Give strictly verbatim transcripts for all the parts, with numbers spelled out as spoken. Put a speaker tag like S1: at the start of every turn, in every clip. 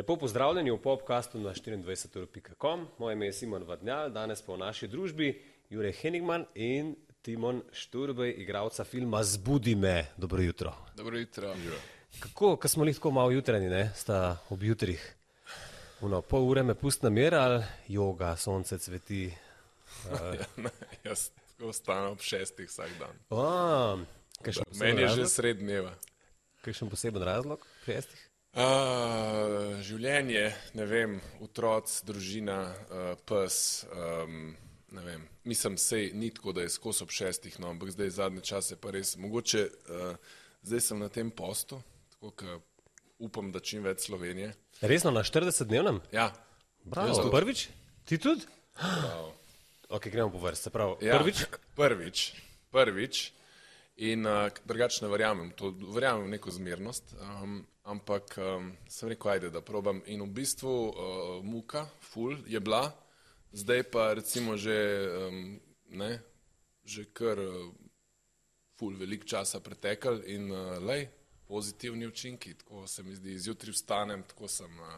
S1: Lepo pozdravljeni v podcastu na štiriindvajset ur pika com. Moje ime je Simon Vadnjal, danes pa v naši družbi Jure Henigman in Timon Šturbej, igralca filma Zbudi me. Dobro jutro.
S2: Dobro jutro.
S1: Kako, ko smo li tako malo jutranji, ne, sta ob jutrih? Uno, pol ure me pust na mir ali joga, sonce cveti? Uh...
S2: ja, ne, jaz tako ostanem ob šestih vsak dan.
S1: A,
S2: meni je že sred dneva.
S1: Kakšen poseben razlog pri šestih?
S2: Uh, življenje, ne vem, otroc, družina, uh, pes, um, ne vem, mislim, sej ni tako, da je skos ob šestih, no, ampak zdaj zadnje čase pa res, mogoče, uh, zdaj sem na tem postu, tako ka upam, da čim več Slovenije.
S1: Resno, na štiridesetdnevnem?
S2: Ja.
S1: Bravo, prvič? Ti tudi?
S2: Bravo.
S1: Ok, gremo po vrsti, prav,
S2: ja,
S1: prvič?
S2: Prvič, prvič. In uh, drugače ne verjamem, to verjamem v neko zmernost, um, ampak um, sem rekel, ajde, da probam. In v bistvu uh, muka, ful, je bila, zdaj pa recimo že, um, ne, že kar uh, ful veliko časa pretekal in uh, lej, pozitivni učinki, tako se mi zdi, zjutraj vstanem, tako sem uh,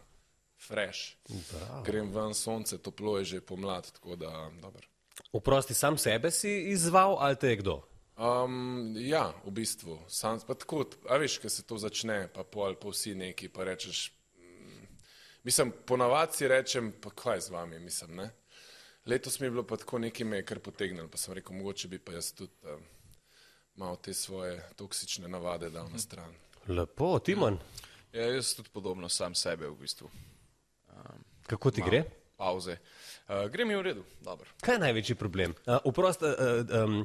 S2: fresh, Bravo. Grem ven, sonce, toplo je že pomlad, tako da, dobro.
S1: Oprosti, sam sebe si izzval ali te je kdo?
S2: Um, ja, v bistvu, sam, pa tako, a veš, ko se to začne, pa pol, pa vsi neki, pa rečeš, mm, mislim, ponavadi si rečem, pa kaj z vami, mislim, ne. Letos mi je bilo pa tako nekaj me je kar potegnilo, pa sem rekel, mogoče bi pa jaz tudi um, malo te svoje toksične navade dal na stran.
S1: Lepo, Timon?
S3: Ja, jaz tudi podobno sam sebe v bistvu. Um,
S1: Kako ti gre?
S3: Pauze. Uh, gre mi v redu, dobro.
S1: Kaj je največji problem? Uh, Oprosti, uh, um,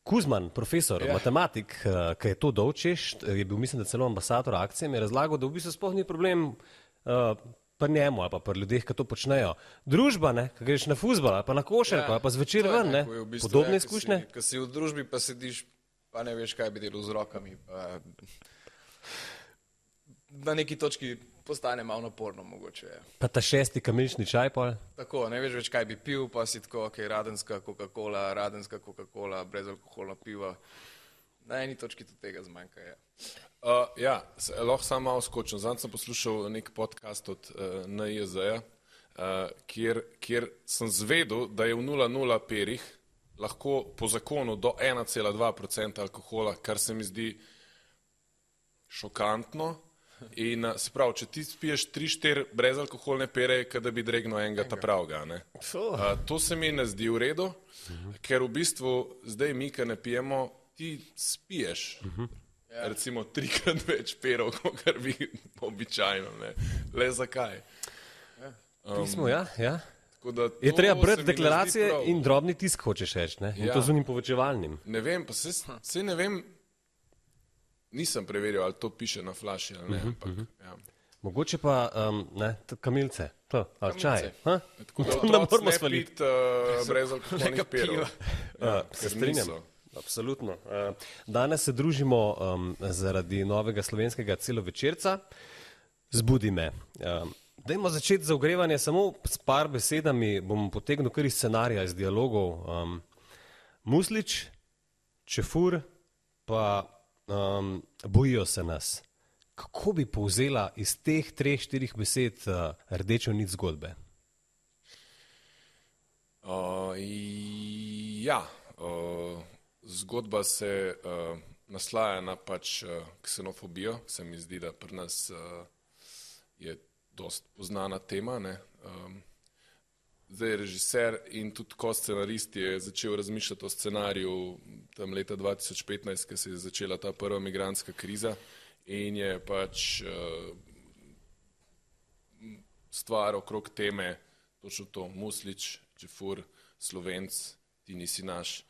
S1: Kuzman, profesor, ja. matematik, ki je to dolčeš, je bil, mislim, da celo ambasador akcije, mi je razlagal, da v bistvu sploh ni problem uh, pri njemu ali pa pri ljudeh, ki to počnejo. Družba, ne, ki greš na fuzbal ali pa na košarko, ja, ali pa zvečer ven, ne, v bistvu, podobne ja, izkušnje.
S3: Ko si, si v družbi, pa sediš, pa ne veš, kaj bi delal z rokami, pa na neki točki postane malo naporno mogoče. Ja.
S1: Pa ta šesti kamilični čaj pol?
S3: Tako, ne veš več, kaj bi pil, pa si tako, ok, radenska Coca-Cola, radenska Coca-Cola, brezalkoholna piva. Na eni točki tudi tega zmanjka, ja.
S2: Uh, ja, se, lahko sam malo skočim. Zdaj sem poslušal nek podcast od uh, N I Z-ja, uh, kjer, kjer sem zvedel, da je v nula nula perih lahko po zakonu do ena cela dva procenta alkohola, kar se mi zdi šokantno. In se pravi, če ti spiješ tri štiri brezalkoholne pere, kada bi dregnil enega ta pravga, ne. Uh, to se mi ne zdi v redu, uh-huh. ker v bistvu zdaj mi, ki ne pijemo, ti spiješ uh-huh. recimo trikrat več perov, kot bi običajno, ne. Le zakaj?
S1: Um, Pismo, ja, ja. Je treba brati deklaracije in drobni tisk, hočeš reči, ne. In ja. To z unim povečevalnim.
S2: Ne vem, pa se, se ne vem, nisem preveril, ali to piše na flaši, ali ne, uh-huh, ampak, uh-huh. ja.
S1: Mogoče pa, um, ne, kamilce, to, ali čaj.
S2: Ha? Tako da otroc ne pit uh, brezalkoholnih perov.
S1: Ja, se strinjam, absolutno. Uh, danes se družimo um, zaradi novega slovenskega celovečerca Zbudi me. Um, dajmo začeti za ogrevanje samo s par besedami, bom potegnil kar iz scenarija, iz dialogov. Um, Muslič, Čefur, pa Um, bojijo se nas. Kako bi povzela iz teh treh, štirih besed uh, rdečo nit zgodbe?
S2: Uh, ja, uh, zgodba se uh, naslaja na pač uh, ksenofobijo. Se mi zdi, da pri nas uh, je dost poznana tema, ne. Um, Zdaj režiser in tudi ko scenarist je začel razmišljati o scenariju tam leta dva tisoč petnajst, ko se je začela ta prva migrantska kriza in je pač uh, stvar okrog teme, točno to, Muslič, Čefur, Slovenc, ti nisi naš,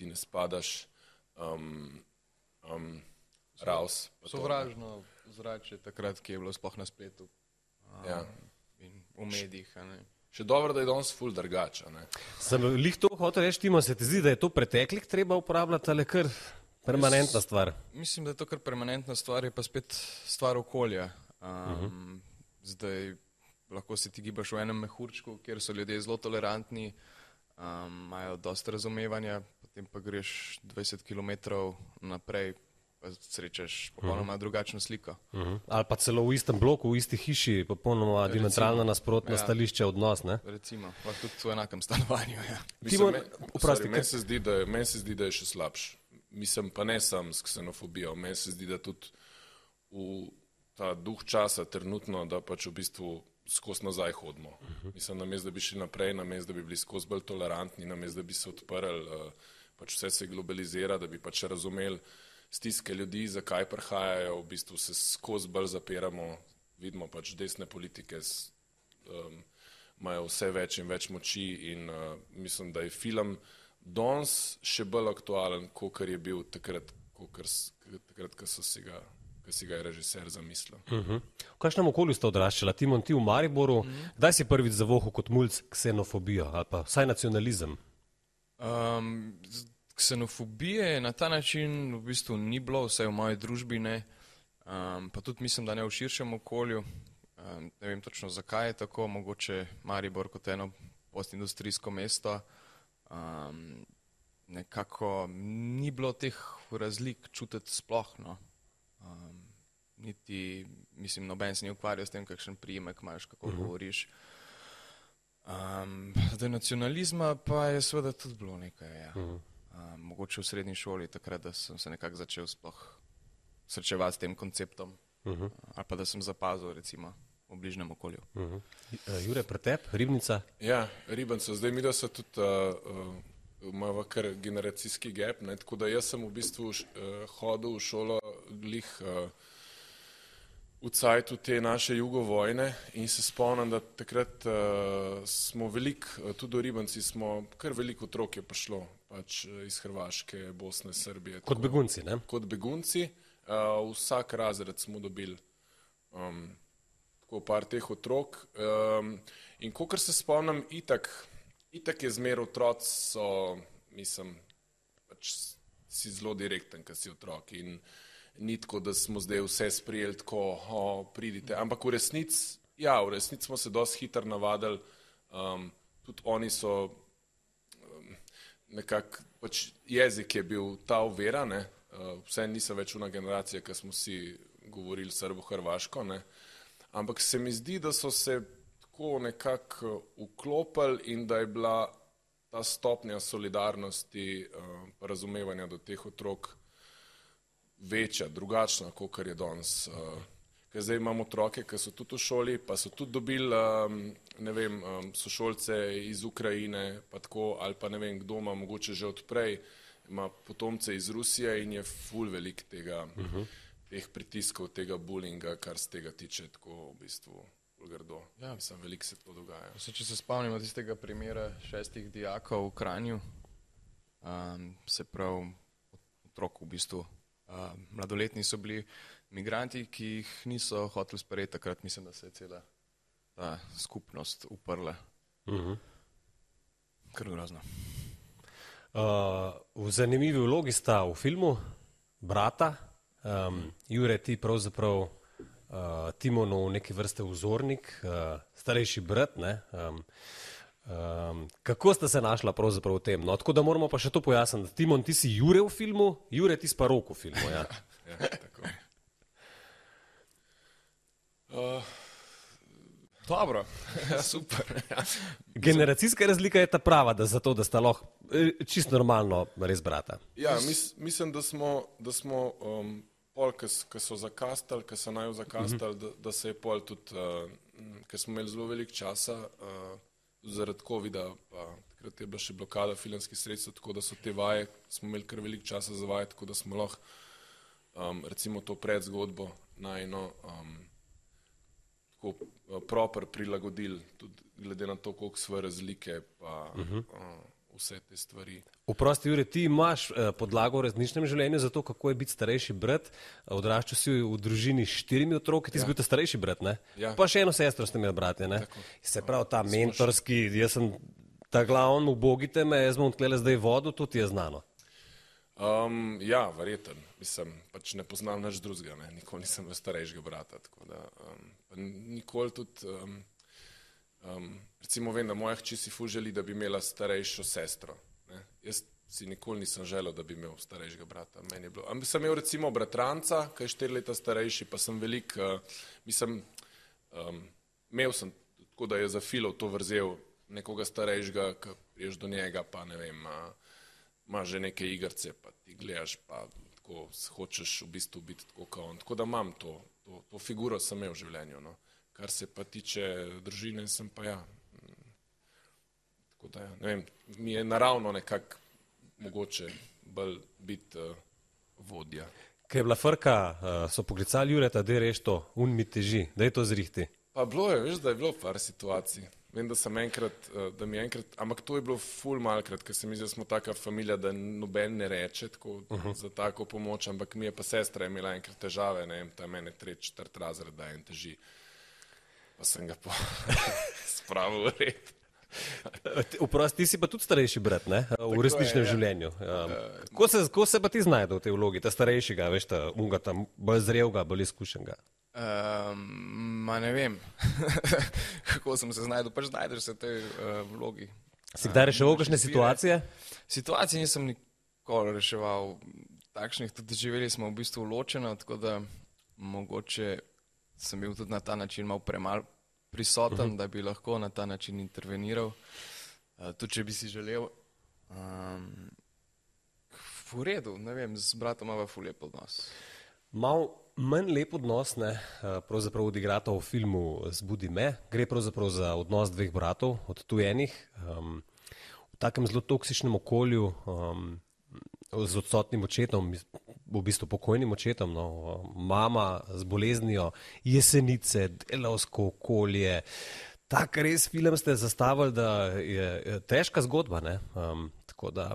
S2: ti ne spadaš, um, um, raus.
S3: Sovražno zrače takrat, ki je bilo sploh na spletu um,
S2: ja.
S3: in v medijih, a ne.
S2: Še dobro, da je danes ful drugače, ne.
S1: Sem lih to hotel reči, Timo, se ti zdi, da je to preteklih treba uporabljati ali kar permanentna stvar?
S3: Mislim, da je to kar permanentna stvar, je pa spet stvar okolja. Um, uh-huh. Zdaj lahko se ti gibaš v enem mehurčku, kjer so ljudje zelo tolerantni, um, imajo dosta razumevanja, potem pa greš dvajset kilometrov naprej, pa srečaš popolnoma uh-huh. drugačno sliko.
S1: Uh-huh. Ali pa celo v istem bloku, v isti hiši, popolnoma diametralno nasprotno
S3: ja.
S1: stališče odnos, ne?
S3: Recimo, pa tudi v enakem stanovanju, ja.
S2: Mislim, me, sorry, meni se zdi, da je, meni se zdi, da je še slabš. Mislim pa ne sam s ksenofobijo, meni se zdi, da tudi v ta duh časa trenutno, da pač v bistvu skozi nazaj hodimo. Uh-huh. Mislim, namesto da bi šli naprej, namesto da bi bili skozi bolj tolerantni, namesto da bi se odprli, uh, pač vse se globalizira, da bi pač razumeli stiske ljudi, zakaj prihajajo, v bistvu se skozi bolj zapiramo, vidimo pač desne politike s, um, imajo vse več in več moči in uh, mislim, da je film danes še bolj aktualen, kot je bil takrat, takrat, ko so si ga ki si ga je režiser zamislil.
S1: Uh-huh. V kakšnem okolju ste odraščali? Timon, ti v Mariboru, uh-huh. Kdaj si prvič zavohal kot mulc ksenofobijo ali pa vsaj nacionalizem?
S3: Um, ksenofobije na ta način v bistvu ni bilo, vsaj v moji družbi ne, um, pa tudi mislim, da ne v širšem okolju. Um, ne vem točno, zakaj je tako, mogoče Maribor kot eno postindustrijsko mesto. Um, nekako ni bilo teh razlik čutiti sploh, no. Um, niti, mislim, noben se ni ukvarjal s tem, kakšen prijemek imaš, kako uh-huh. govoriš. Um, zdaj nacionalizma pa je seveda tudi bilo nekaj, ja. Uh-huh. Um, mogoče v srednji šoli, takrat, da sem se nekako začel sploh srečevati s tem konceptom, uh-huh. ali pa da sem zapazil, recimo, v bližnjem okolju.
S1: Uh-huh. Jure, pretep, Ribnica?
S2: Ja, Ribnica. Zdaj mi da so tudi uh, uh, imamo kar generacijski gap, ne? Tako da jaz sem v bistvu š, uh, hodil v šolo glih uh, v cajtu te naše jugovojne in se spomnim, da takrat uh, smo veliko, uh, tudi v Ribanci smo, kar veliko otrok je prišlo, pač uh, iz Hrvaške, Bosne, Srbije.
S1: Kot tako, begunci, ne?
S2: Kot begunci. Uh, vsak razred smo dobili um, tako par teh otrok. Um, in kakor se spomnim, itak, itak je zmer otroci so, mislim, pač si zelo direkten, kad si otrok in ni tako, da smo zdaj vse sprijeli tako, o, pridite. Ampak v resnici, ja, v resnici smo se dosti hitro navadili, um, tudi oni so um, nekako, pač jezik je bil ta ovira, ne, uh, vse niso več una generacija, ki smo si govorili srbo-hrvaško, ne, ampak se mi zdi, da so se tako nekako vklopili in da je bila ta stopnja solidarnosti, uh, razumevanja do teh otrok večja, drugačna, kot je danes. Uh, ker zdaj imamo otroke, ki so tudi v šoli, pa so tudi dobili, um, ne vem, um, sošolce iz Ukrajine, pa tako, ali pa ne vem, kdo ima mogoče že odprej, ima potomce iz Rusije in je ful velik tega, uh-huh. teh pritiskov, tega bullyinga, kar se tega tiče, tako v bistvu grdo. Ja. Mislim, veliko se to dogaja.
S3: Se, če se spomnimo tistega primera šestih dijakov v Kranju, um, se prav otrok v bistvu, Uh, mladoletni so bili migranti, ki jih niso hoteli sprejeti, takrat mislim, da se je cela ta skupnost uprla. Uh-huh. Kar grozno.
S1: Uh, v zanimivi vlogi sta v filmu brata, um, Jure, ti pravzaprav uh, Timonu neki vrste vzornik, uh, starejši brat, ne? Um, Um, kako sta se našla pravzaprav v tem? No, tako da moramo pa še to pojasniti. Timon, ti si Jure v filmu, Jure, ti si pa Rok v filmu. Ja,
S2: ja tako. Uh, dobro, ja, super. Ja.
S1: Generacijska razlika je ta prava, da zato, da sta lahko čisto normalno res brata.
S2: Ja, mis, mislim, da smo, da smo um, pol, ki so zakastali, ki so naju zakastali, uh-huh. da, da se je pol tudi, uh, ker smo imeli zelo veliko časa, uh, zaradi covida, pa takrat je bila še blokada filmskih sredstev, tako da so te vaje, smo imeli kar veliko časa za vaje, tako da smo lahko um, recimo to predzgodbo najno um, tako uh, proper prilagodili, tudi glede na to, koliko svoje razlike, pa uh-huh. uh, vse te stvari.
S1: Oprosti, Jure, ti imaš eh, podlago v resničnem življenju za to, kako je biti starejši brat. Odraščal si v družini s štirimi otroki, ti ja. si bil ta starejši brat, ne? Ja. Pa še eno sestro ste imeli bratje, ne? Tako. Se pravi, ta Smo mentorski, jaz sem ta glavn, ubogite me, jaz bom tlele zdaj vodu, to ti je znano.
S2: Um, ja, verjeten. Mislim, pač ne poznam nič drugega, ne? Nikoli nisem bil starejšega brata, tako da um, nikoli tudi... Um, Um, recimo vem, da moja hči si ful želi, da bi imela starejšo sestro. Ne? Jaz si nikoli nisem želel, da bi imel starejšega brata. Meni je bilo. Ampak sem imel recimo bratranca, ki je štiri leta starejši, pa sem velik, uh, mislim, um, imel sem, tako da je za filov to vrzel nekoga starejšega, ki priješ do njega, pa ne vem, uh, ima že neke igrce, pa ti gledaš, pa tako hočeš v bistvu biti tako kot on. Tako da imam to, to, to figuro sem imel v življenju. No. Kar se pa tiče družine, sem pa ja. Tako da ja, ne vem, mi je naravno nekako mogoče bolj biti uh, vodja.
S1: Kaj je bila frka, uh, so poklicali Jureta, da je reš to, un mi teži, da je to zrihti.
S2: Pa bilo je, veš, da je bilo par situacij. Vem, da sem enkrat, uh, da mi je enkrat, ampak to je bilo ful malkrat, ker se mi zdi, da smo taka familija, da noben ne reče tako, uh -huh. za tako pomoč, ampak mi je pa sestra imela enkrat težave, ne vem, ta mene tretji, četrt razred, da en teži. Pa sem ga po spravil v red.
S1: Vprost, ti si pa tudi starejši brat, ne? V resničnem je, ja. življenju. Um, ko, se, ko se pa ti znajde v tej vlogi, ta starejšega, veš, ta unga tam, bolj zrelga, bolj izkušenega?
S3: Um, ma ne vem, kako sem se znajdel, pač znajdeš se v tej uh, vlogi.
S1: Si kdaj reševal kakšne situacije?
S3: Situacije nisem nikoli reševal takšnih, tudi živeli smo v bistvu ločeno, tako da mogoče sem bil tudi na ta način malo premal prisoten, uh -huh. da bi lahko na ta način interveniral, uh, tudi če bi si želel. Um, v redu, ne vem, z bratom imava ful lep odnos.
S1: Mal manj lep odnos, ne, pravzaprav odigrata v filmu Zbudi me, gre pravzaprav za odnos dveh bratov, odtujenih, um, v takem zelo toksičnem okolju, um, z odsotnim očetom, v bistvu pokojnim očetom, no, mama z boleznijo, Jesenice, delavsko okolje. Tak res film ste zastavili, da je težka zgodba, ne? Um, tako da,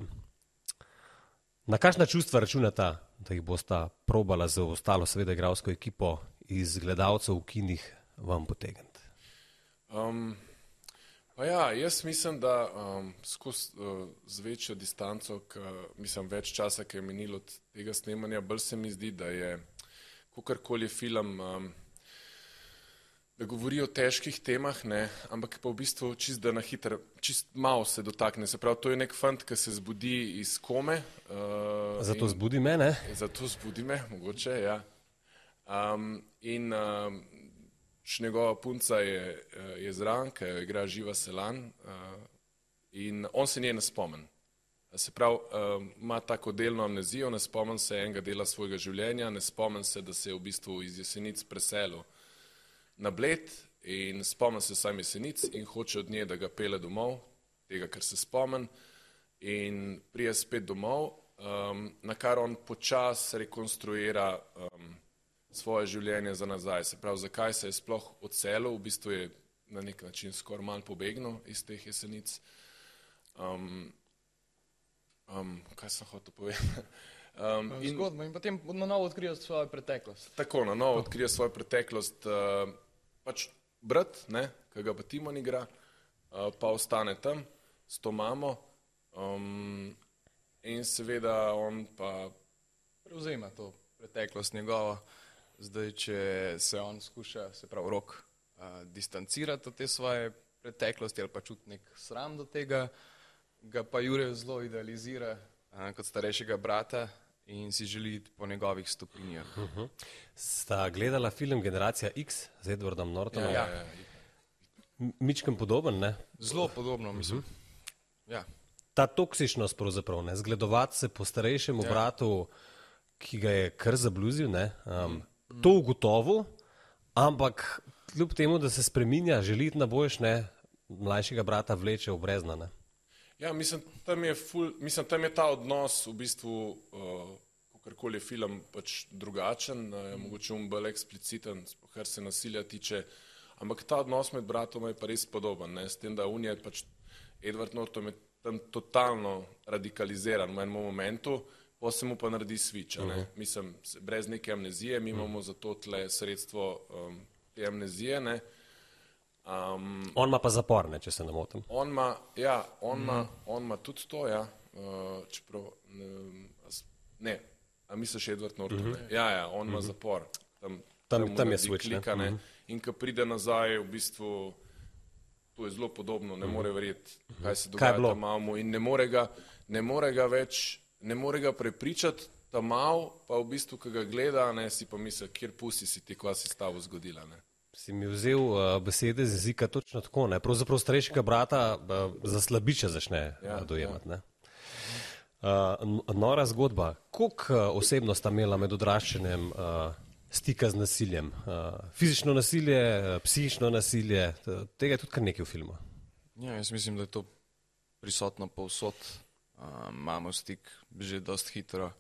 S1: na kakšna čustva računata, da jih bosta probala za ostalo, seveda igralsko ekipo iz gledalcev v kinih vam potegniti?
S2: Um, pa ja, jaz mislim, da um, skozi uh, z večjo distanco, k, mislim več časa, ki je minilo od tega snemanja, bolj se mi zdi, da je kakorkoli film, um, da govori o težkih temah, ne, ampak pa v bistvu čist da na hiter, čist malo se dotakne. Se pravi, to je nek fant, ki se zbudi iz kome. Uh,
S1: zato
S2: in,
S1: zbudi me, ne?
S2: Zato zbudi me, mogoče, ja. Um, in um, njegova punca je, je zraven, ki jo igra Živa Selan, uh, in on se nje ne spomen. Se pravi, uh, ima tako delno amnezijo, ne spomen se enega dela svojega življenja, ne spomen se, da se je v bistvu iz Jesenic preselil na Bled in spomen se sam Jesenic in hoče od nje, da ga pele domov, tega, ker se spomen, in prije spet domov, um, na kar on počas rekonstruira um, svoje življenje za nazaj. Se pravi, zakaj se je sploh odselil, v bistvu je na nek način skoraj manj pobegnil iz teh Jesenic. Um, um, kaj sem hotel povedati? Um,
S3: in, Zgodba in potem na novo odkrije svojo preteklost.
S2: Tako, na novo odkrije svojo preteklost. Uh, pač brat, ne, ki ga pa Timon igra, uh, pa ostane tam s to mamo um, in seveda on pa
S3: prevzema to preteklost njegovo. Zdaj, če se on skuša, se pravi Rok, uh, distancirati od te svoje preteklosti ali pa čuti nek sram do tega, ga pa Jure zelo idealizira uh, kot starejšega brata in si želi po njegovih stopinjah.
S1: Uh -huh. Sta gledala film Generacija X z Edwardom Nortonom?
S2: Ja, ja, ja.
S1: Mičkem podoben, ne?
S3: Zelo podobno, mislim. Uh -huh. Ja.
S1: Ta toksičnost pravzaprav, ne? Zgledovati se po starejšemu ja. bratu, ki ga je kar zabluzil, ne? Um, mm. To ugotovil, ampak kljub temu, da se spreminja, želi iti na boljš, ne? Mlajšega brata vleče v brezna, ne?
S2: Ja, mislim, tam je, ful, mislim, tam je ta odnos v bistvu, uh, kakorkoli je film, pač drugačen, uh, mogoče um bolj ekspliciten, kar se nasilja tiče, ampak ta odnos med bratoma je pa res podoben, ne, s tem, da on je pač, Edward Norton je tam totalno radikaliziran v enem momentu, pa se mu pa naredi switch, uh-huh. ne, mislim, brez neke amnezije, mi imamo uh-huh. zato tle sredstvo um, te amnezije, ne. Um,
S1: on ima pa zapor, ne, če se ne motim.
S2: On ima, ja, on ima mm. on ima tudi to, ja, uh, čeprav, ne, ne, a misliš Edward Norton, mm -hmm. ja, ja, on ima mm -hmm. zapor, tam,
S1: tam,
S2: tam,
S1: tam je switch,
S2: klika,
S1: ne,
S2: ne,
S1: mm -hmm.
S2: in ko pride nazaj, v bistvu, to je zelo podobno, ne mm -hmm. more verjeti, kaj se dogaja tam mamu in ne more ga, ne more ga več, ne more ga prepričati, ta mal, pa v bistvu, ko ga gleda, ne, si pa misli, kjer pusti si ti, kva si s tabo zgodila. Ne.
S1: Si mi vzel uh, besede z jezika točno tako, ne? Pravzaprav starejšega brata uh, za slabiča začne ja, uh, dojemati. Ja. Uh, nora zgodba. Koliko uh, osebno sta imela med odraščanjem uh, stika z nasiljem? Uh, fizično nasilje, uh, psihično nasilje, tega je tudi kar nekaj v filmu.
S3: Ja, jaz mislim, da je to prisotno povsod. Uh, imamo stik že dost hitro.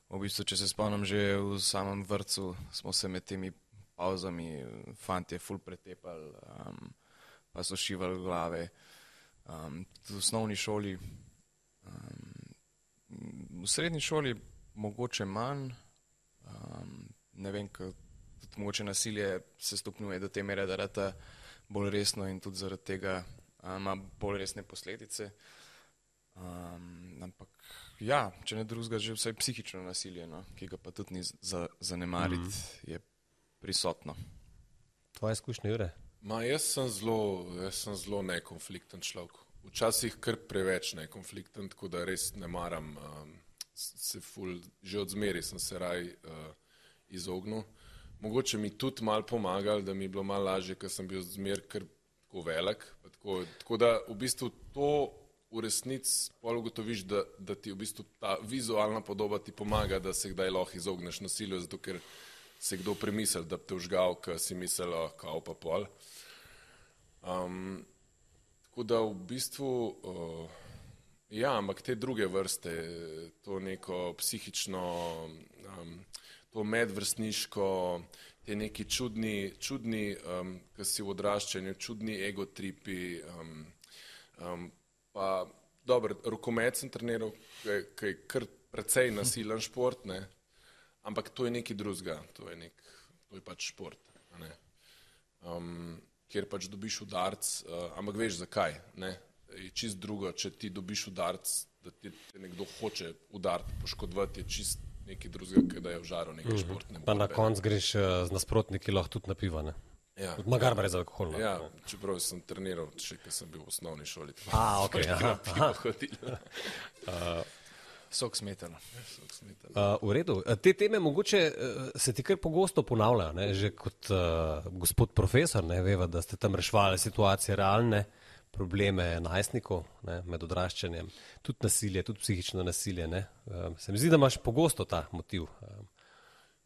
S3: V bistvu, če se spomnim, že v samem vrtcu smo se med temi pauzami fantje ful pretepali, um, pa so šivali glave. Um, v osnovni šoli, um, v srednji šoli mogoče manj, um, ne vem, ko tudi mogoče nasilje se stopnjuje do te mere, da rata bolj resno in tudi zaradi tega ima um, bolj resne posledice. Um, ampak ja, če ne drugega, že vsaj psihično nasilje, no, ki ga pa tudi ni za, zanemariti, mm. je prisotno.
S1: Tvoje izkušnje, Jure?
S2: Ma, jaz sem zelo, jaz sem zelo nekonflikten človek. Včasih kar preveč nekonflikten, tako da res ne maram um, se ful, že od zmeri sem se raj uh, izognil. Mogoče mi tudi malo pomagal, da mi je bilo malo lažje, ker sem bil zmer kar tako velik. Tako, tako da v bistvu to v resnici pol ugotoviš, da, da ti v bistvu ta vizualna podoba ti pomaga, da se kdaj lahko izogneš nasilju, zato ker se kdo premisel, da bi te užgal, ker si mislil, kao pa pol. Um, tako da v bistvu, uh, ja, ampak te druge vrste, to neko psihično, um, to medvrstniško, te neki čudni, čudni um, ki si v odraščanju, čudni egotripi, um, um, pa dobro, rokomet sem treniral, ki je kar precej nasilen šport, ne? Ampak to je nekaj drugega, to je, nek, to je pač šport, ne? Um, kjer pač dobiš udarc, uh, ampak veš zakaj, ne? Je čist drugo, če ti dobiš udarc, da ti te nekdo hoče udariti, poškodovati, je čist nekaj drugega, ki da je v žaru nekaj športne.
S1: Pa na konc greš uh, z nasprotniki lahko tudi na piva, ne? Ja, Magar brez alkohola.
S2: Ja, čeprav sem treniral, še ko sem bil v osnovni šoli.
S1: A, ok, aha.
S3: uh, Sok smetana.
S1: Uh, v redu. Te teme mogoče uh, se ti kar pogosto ponavljajo, ne? Že kot uh, gospod profesor, ne, veva, da ste tam reševali situacije realne, probleme najstnikov, ne, med odraščanjem, tudi nasilje, tudi psihično nasilje, ne. Uh, se mi zdi, da imaš pogosto ta motiv. Uh,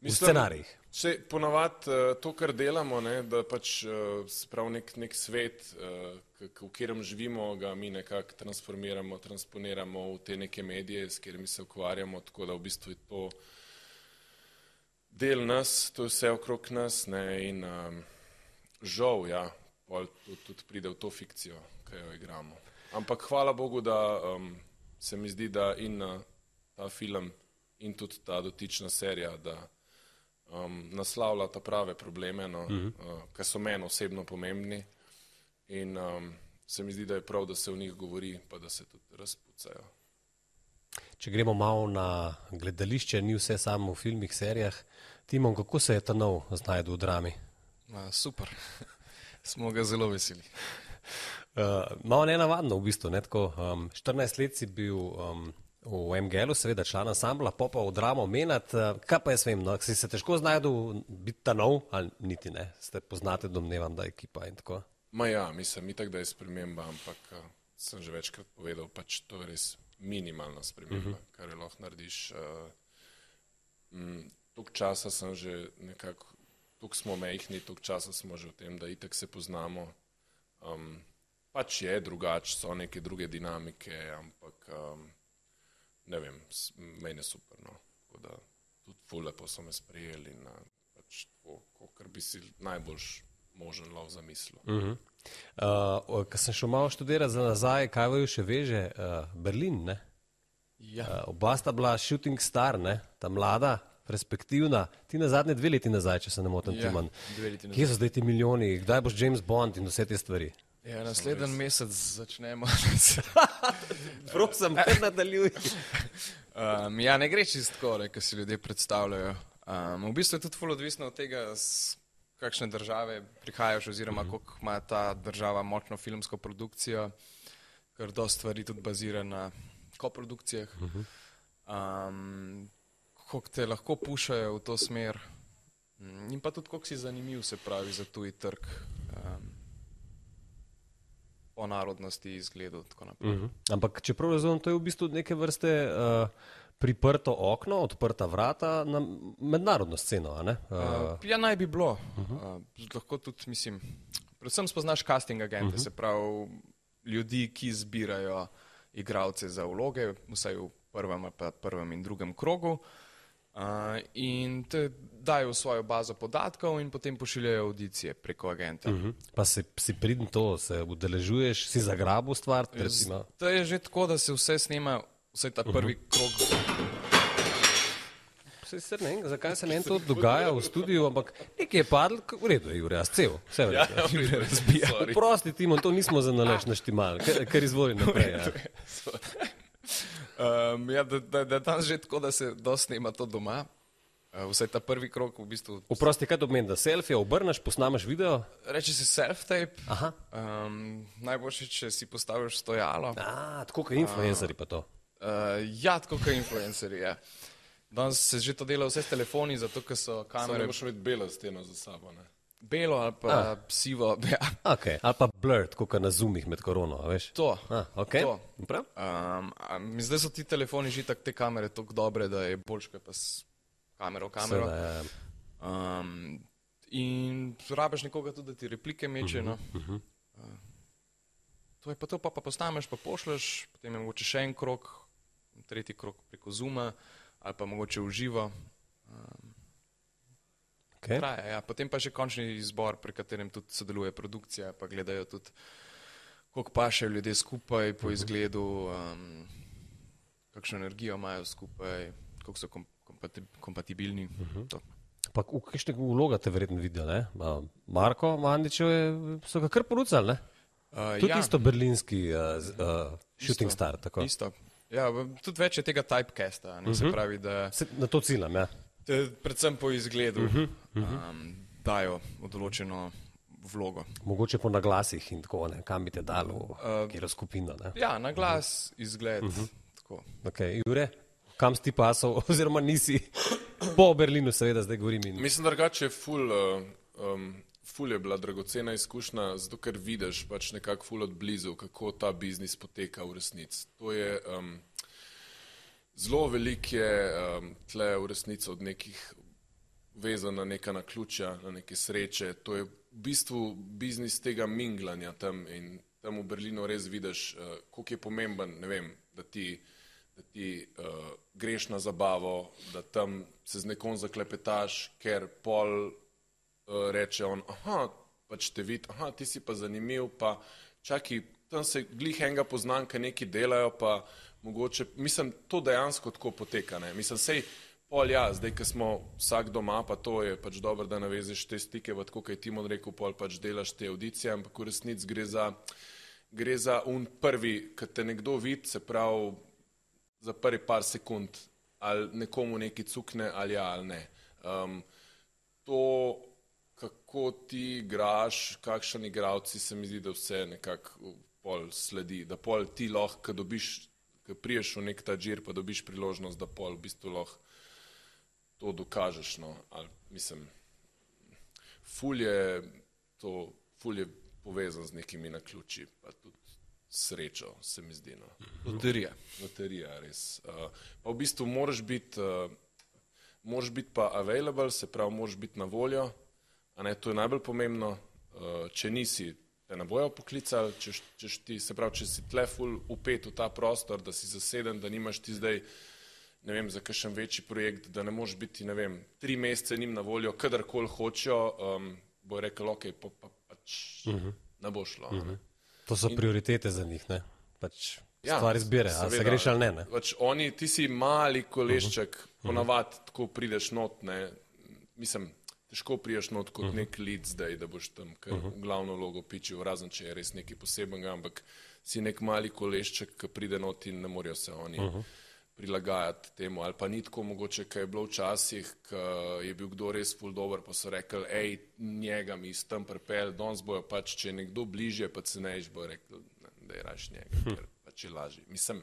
S1: V scenarijih.
S2: Če ponavadi uh, to, kar delamo, ne, da pač uh, se pravi nek, nek svet, uh, k, k, v katerem živimo, ga mi nekako transformiramo, transponiramo v te neke medije, s katerimi se ukvarjamo, tako da v bistvu je to del nas, to je vse okrog nas, ne, in um, žal, ja, pol tudi, tudi pride v to fikcijo, ki jo igramo. Ampak hvala Bogu, da um, se mi zdi, da in uh, ta film in tudi ta dotična serija, da Um, naslavlja ta prave probleme, no, uh-huh. uh, ki so meni osebno pomembni in um, se mi zdi, da je prav, da se o njih govori, pa da se tudi razpucajo.
S1: Če gremo malo na gledališče, ni vse samo v filmih, serijah. Timon, kako se je ta nov znajdel v drami?
S3: A, super, smo ga zelo veseli.
S1: Uh, malo nenavadno v bistvu, ne, tako, um, štirinajst let si bil um, v M G L-u, seveda član ansambla, pa pa v dramo menat, kaj pa jaz vem, no, si se težko znajdel biti ta nov, ali niti ne, ste poznate, domnevam, da ekipa in tako?
S2: Ma ja, mislim, itak, da je sprememba, ampak uh, sem že večkrat povedal, pač to je res minimalna sprememba, uh-huh. kar je lahko narediš. Uh, mm, tok časa sem že nekako, tok smo mehni, tok časa smo že v tem, da itak se poznamo. Um, pač je drugač, so neke druge dinamike, ampak um, ne vem, meni je super, no. Tako da tudi ful lepo so me sprejeli in pač tako, kakor bi si najboljš možen lov zamislil.
S1: Uh-huh. Uh, ko sem šel malo študirati za nazaj, kaj vaju še veže? Uh, Berlin, ne?
S3: Ja.
S1: Uh, oba sta bila shooting star, ne? Ta mlada, perspektivna. Ti na zadnje dve leti nazaj, če se ne motim,
S3: ja,
S1: Timan. Kje so zdaj ti milijoni? Kdaj boš James Bond in vse te stvari?
S3: Ja, naslednji mesec začnemo.
S1: Prosim, kar nadaljuj.
S3: um, ja, ne gre čisto tako, ne, kar si ljudje predstavljajo. Um, v bistvu je tudi ful odvisno od tega, z kakšne države prihajaš oziroma mm-hmm. koliko ima ta država močno filmsko produkcijo, ker dosti stvari tudi bazira na koprodukcijah, um, koliko te lahko pušajo v to smer in pa tudi koliko si zanimiv, se pravi, za tuji trg. Um, po narodnosti, izgledu, tako naprej.
S1: Uh -huh. Ampak, čeprav razumem, to je v bistvu neke vrste uh, priprto okno, odprta vrata na mednarodno sceno, a ne? Uh...
S3: Uh, ja, naj bi bilo. Uh -huh. uh, lahko tudi, mislim, predvsem spoznaš casting agente, uh -huh. se pravi, ljudi, ki zbirajo igralce za vloge, vsaj v prvem, pa prvem in drugem krogu. Uh, in te dajo v svojo bazo podatkov in potem pošiljajo audicije preko agenta.
S1: Uh -huh. Pa si, si pridn to, se udeležuješ, si zagrabil stvar? Recimo.
S3: To je že tako, da se vse snema, vse ta prvi uh -huh. krog.
S1: Se ne vem, zakaj se meni to dogaja v studiu, ampak nekaj je padlo, v redu je, Jure, jaz cel, vse v redu. Ja, Jure razbija. Prosti, Timon, to nismo za nalaž naštimal, ker, ker izvoli naprej. Ja.
S3: Um, ja, da, da, da tam že tako, da se dosti snema to doma. Uh, vse ta prvi krok v bistvu...
S1: Oprosti, kaj to pomeni, da selfie obrneš, posnamaš video?
S3: Reče se self-tape. Um, najboljše, če si postaviš stojalo.
S1: A, tako kot influencerji pa to.
S3: Uh, ja, tako kot influencerji, ja. Danes se že to dela vse s telefoni, zato ker so kamere...
S2: Samo moraš imeti belo steno za sabo, ne?
S3: Belo ali pa A. sivo, ja.
S1: Okay. Ali pa blurred, kot na zoomih med korono, veš?
S3: To.
S1: A, okay.
S3: To. Um, zdaj so ti telefoni že tak, te kamere tako dobre, da je boljš, kaj pa s kamero v kamero.
S1: Seveda, ja.
S3: um, in rabiš nekoga tudi, da ti replike meče, no.
S1: Uh -huh.
S3: uh, to je pa to, pa, pa posnameš, pa pošleš, potem je mogoče še en krok, tretji krok preko Zooma, ali pa mogoče v živo. Um,
S1: okay.
S3: traja, ja. Potem pa še končni izbor, pri katerem tudi sodeluje produkcija, pa gledajo tudi, koliko pašejo ljudje skupaj po izgledu, um, kakšno energijo imajo skupaj, koliko so kom kompatib kompatibilni. Uh-huh.
S1: Pa v kakšne vloga te verjetno vidijo, ne? Marko Mandićev so ga kar porucali, ne?
S3: Uh,
S1: tudi
S3: ja.
S1: isto berlinski uh, uh, shooting
S3: isto,
S1: star, tako?
S3: Isto. Ja, tudi več je tega typecasta, ne, uh-huh. se pravi, da...
S1: Se, na to ciljam, ja.
S3: Te, predvsem po izgledu
S1: uh-huh. Uh-huh.
S3: Um, dajo v določeno vlogo.
S1: Mogoče po naglasih in tako, ne, kam bi te dalo, uh, kjero skupino, ne?
S3: Ja, naglas, uh-huh. izgled, uh-huh. tako.
S1: Ok, Jure, kam si ti pasal, oziroma nisi po Berlinu, seveda, zdaj govorim. In...
S2: Mislim, drugače je ful, uh, um, ful je bila dragocena izkušnja, zato ker vidiš pač nekako ful od blizu, kako ta biznis poteka v resnici. To je... Um, Zelo veliko je um, tle v resnici od nekih vezan na neka naključja, na neke sreče. To je v bistvu biznis tega minglanja tam in tam v Berlinu res vidiš, uh, koliko je pomemben, ne vem, da ti, da ti uh, greš na zabavo, da tam se z nekom zaklepetaš, ker pol uh, reče on, aha, pač te vidi, aha, ti si pa zanimiv, pa čaki, tam se glih enega poznam, kaj neki delajo, pa mogoče, mislim, to dejansko tako poteka, ne, mislim, sej, pol ja, zdaj, ko smo vsak doma, pa to je pač dobro, da navezeš te stike, pa tako, kaj Timon rekel, pol pač delaš te audicije, ampak v resnici gre za, gre za un prvi, kad te nekdo vidi, se pravi, za prvi par sekund, ali nekomu neki cukne, ali ja, ali ne. Um, to, kako ti igraš, kakšen igravci, se mi zdi, da vse nekako pol sledi, da pol ti lahko, kad dobiš, kad priješ v nek ta džir, pa dobiš priložnost, da pol v bistvu lahko to dokažeš, no, ali mislim, ful je to, ful je povezan z nekimi naključi, pa tudi srečo, se mi zdi, no.
S3: Loterija.
S2: Loterija, res. Uh, pa v bistvu moraš biti, uh, moraš biti pa available, se pravi, moraš biti na voljo, a ne, to je najbolj pomembno, uh, če nisi, te ne bojo poklicali, če, če ti, se pravi, če si tle ful upet v ta prostor, da si zaseden, da nimaš ti zdaj, ne vem, za kakšen večji projekt, da ne moreš biti, ne vem, tri mesece njim na voljo, kadarkoli hočejo, um, bo rekel, ok, pa, pa pač uh -huh. ne bo šlo. Uh -huh.
S1: To so prioritete za njih, ne? Pač ja, stvar izbire, ali se greš ali ne, ne?
S2: Pač oni, ti si mali kolešček, uh -huh. ponavadi tako prideš not, ne, mislim, težko priješ not kot uh -huh. nek lead zdaj, da boš tam kar uh -huh. glavno logo pičil, razen če je res nekaj posebenega, ampak si nek mali kolešček, ki pride not in ne morajo se oni uh -huh. prilagajati temu, ali pa ni tako mogoče, kaj je bilo včasih, ko je bil kdo res ful dober, pa so rekli, ej, njega mi s tem pripel, danes bojo pač, če je nekdo bližje, pa cenejš, bojo rekli, da je raš njega, ker pač je lažji. Mislim,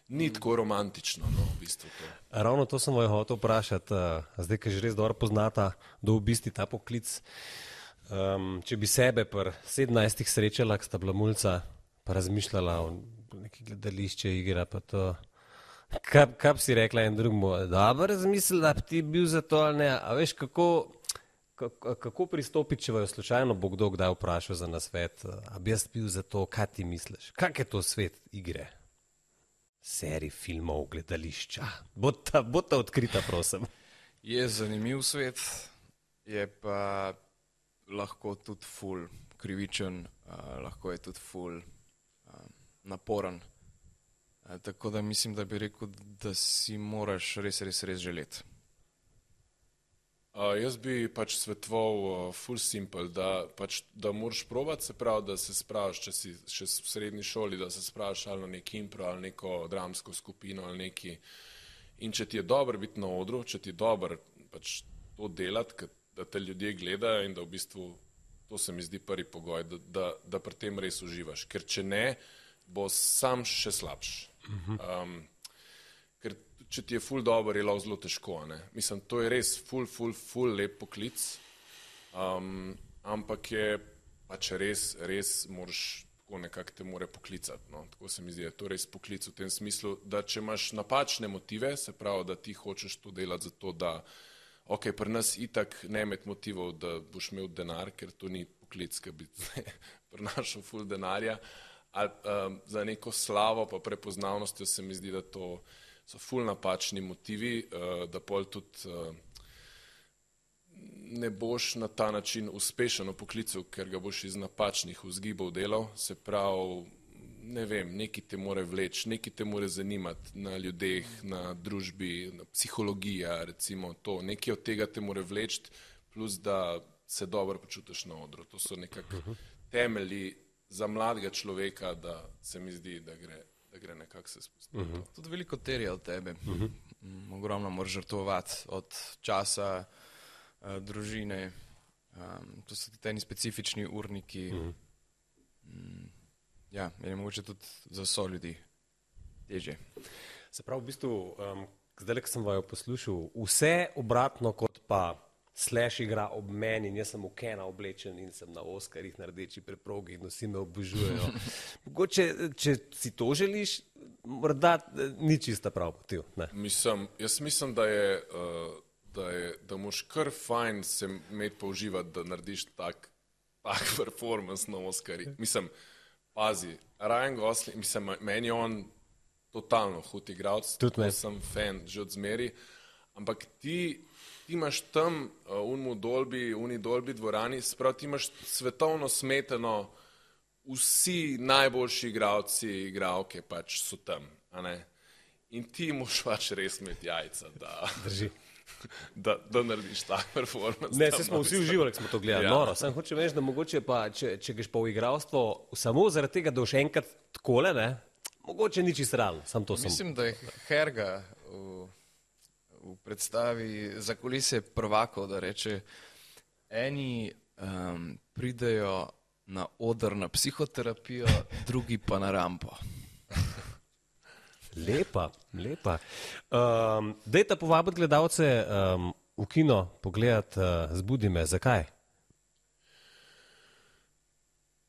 S2: ni tako romantično, no, v bistvu to.
S1: Ravno to sem vaju hotel vprašati, zdaj, ki že res dobro poznata do v bistvu ta poklic. Um, če bi sebe pri sedemnajstih srečala, ki sta bila mulca, pa razmišljala o neki gledališče igre, pa to, kaj, kaj bi si rekla en drugmu, dobro razmislila, da bi ti bil za to ali ne, a veš, kako, kako, kako pristopiti, če vaju slučajno bo kdo kdaj vprašal za nasvet, a bi jaz bil za to, kaj ti misliš, kak je to svet igre? Serij filmov, gledališča. Bota, bota odkrita, prosim.
S3: Je zanimiv svet, je pa lahko tudi ful krivičen, uh, lahko je tudi ful uh, naporen. Uh, tako da mislim, da bi rekel, da si moraš res, res, res želeti.
S2: Uh, jaz bi pač svetoval uh, full simple, da, pač, da moraš probati, se pravi, da se spraviš, če si še v srednji šoli, da se spraviš ali na neki impro, ali neko dramsko skupino, ali neki. In če ti je dobro biti na odru, če ti je dobro pač to delati, da te ljudje gledajo in da v bistvu, to se mi zdi prvi pogoj, da, da, da pri tem res uživaš. Ker če ne, bo sam še slabš. Um, ker če ti je ful dobro, je lahko zelo težko. Ne? Mislim, to je res ful, ful, ful lep poklic, um, ampak je pač res, res moraš tako nekako te more poklicati. No? Tako se mi zdi, to je res poklic v tem smislu, da če imaš napačne motive, se pravi, da ti hočeš to delati zato, da ok, pri nas itak ne imeti motivov, da boš imel denar, ker to ni poklic, ki bi prinašal ful denarja, ali um, za neko slavo pa prepoznavnostjo se mi zdi, da to so ful napačni motivi, uh, da pol tudi uh, ne boš na ta način uspešen v poklicu, ker ga boš iz napačnih vzgibov delal, se pravi, ne vem, neki te more vleči, neki te more zanimati na ljudeh, na družbi, na psihologija, recimo to, neki od tega te more vleči, plus da se dobro počutiš na odru. To so nekako temelji za mladega človeka, da se mi zdi, da gre, da gre nekako se spustiti. Uh -huh.
S3: Tudi veliko terja od tebe. Uh -huh. Ogromno moraš žrtvovati od časa, uh, družine, um, to so teni specifični urniki. Uh -huh. um, ja, je mogoče tudi za so ljudi težje.
S1: Se pravi, v bistvu, um, zdaj, ko sem vaju poslušal, vse obratno kot pa Slash igra ob meni in jaz sem v Kena oblečen in sem na Oskarjih na rdeči preprogi in vsi me obožujejo. Mogoče, če si to želiš, morda ni čista prav motiv.
S2: Mislim, jaz mislim, da je, uh, da je, da moraš kar fajn se imeti pa uživati, da narediš tak, tak performance na Oskarjih. Mislim, pazi, Ryan Gosling, mislim, meni je on totalno hud igralec, to sem fan že od zmeri, ampak ti ti imaš tam uh, unmu dolbi, uni dolbi dvorani, sprav ti imaš svetovno smetano, vsi najboljši igralci, igralke pač so tam, a ne? In ti moš pač res imeti jajca, da, da, da narediš tak performance.
S1: Ne, se smo vsi uživali, ko smo to gledali, ja. Noro, sem hočem reči, da mogoče pa, če, če greš pa v igralstvo, samo zaradi tega, da boš enkrat takole, ne, mogoče ni čisto realno, sam to sem.
S3: Mislim, da je Herga v v predstavi za kulise prvakov, da reče, eni um, pridejo na oder na psihoterapijo, drugi pa na rampo.
S1: Lepa, lepa. Um, dajte povabiti gledalce um, v kino pogledati uh, Zbudi me. Zakaj?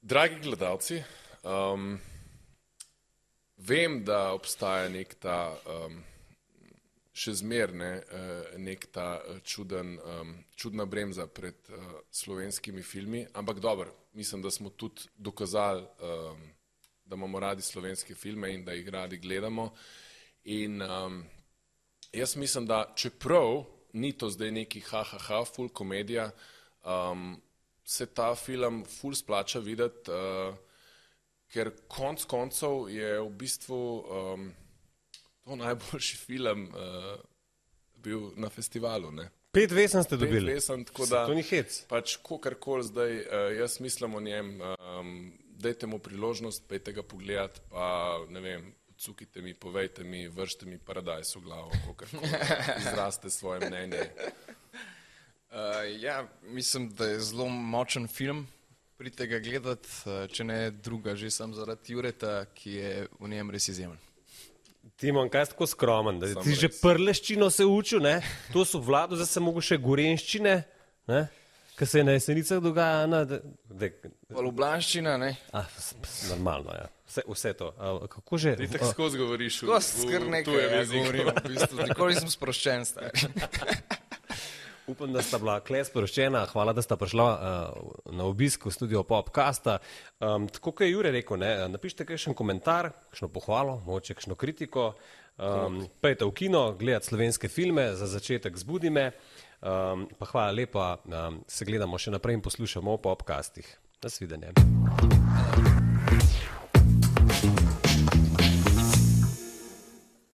S2: Dragi gledalci, um, vem, da obstaja nek ta um, še zmerne nek ta čuden, čudna bremza pred slovenskimi filmi, ampak dobro, mislim, da smo tudi dokazali, da imamo radi slovenske filme in da jih radi gledamo. In jaz mislim, da čeprav ni to zdaj neki ha-ha-ha, full komedija, se ta film full splača videti, ker konc koncev je v bistvu to najboljši film uh, bil na festivalu. Ne?
S1: Pet vesem ste dobili.
S2: Pet vesem, tako da
S1: to ni hec.
S2: Pač kakorkoli zdaj, uh, jaz mislim o njem, um, dajte mu priložnost, pejte ga pogledati, pa ne vem, cukite mi, povejte mi, vršite mi paradajz v glavo, kakorkoli izraste svoje mnenje.
S3: Uh, ja, mislim, da je zelo močen film. Pridite ga gledati, uh, če ne druga, že sam zaradi Jureta, ki je v njem res izjemen.
S1: Timon, kaj si tako skromen, da
S2: Sam
S1: ti že
S2: res.
S1: prleščino se učil, ne? To so vlado, zdaj se mogo še gorenščine, ne? Kaj se je na Jesenicah dogaja, ne? Da, da,
S3: Pa Ljubljanščina, ne?
S1: a, s- s- normalno, ja. Vse, vse to. A, kako že?
S2: Ti tako skozi govoriš v,
S3: Ko
S2: v,
S3: skr
S2: v
S3: nekaj
S2: tujem
S3: ja,
S2: jeziku.
S3: govorim, v bistvu, nikoli nisem sproščen, stari.
S1: Upam, da sta bila kle sporočena. Hvala, da sta prišla uh, na obisk v studio Popcasta. Um, tako kot je Jure rekel, ne, napišite kakšen komentar, kakšno pohvalo, mogoče kakšno kritiko. Um, Pejte v kino, gledati slovenske filme, za začetek zbudi me. Um, pa hvala lepa, um, se gledamo še naprej in poslušamo o Popcastih. Nasvidenje.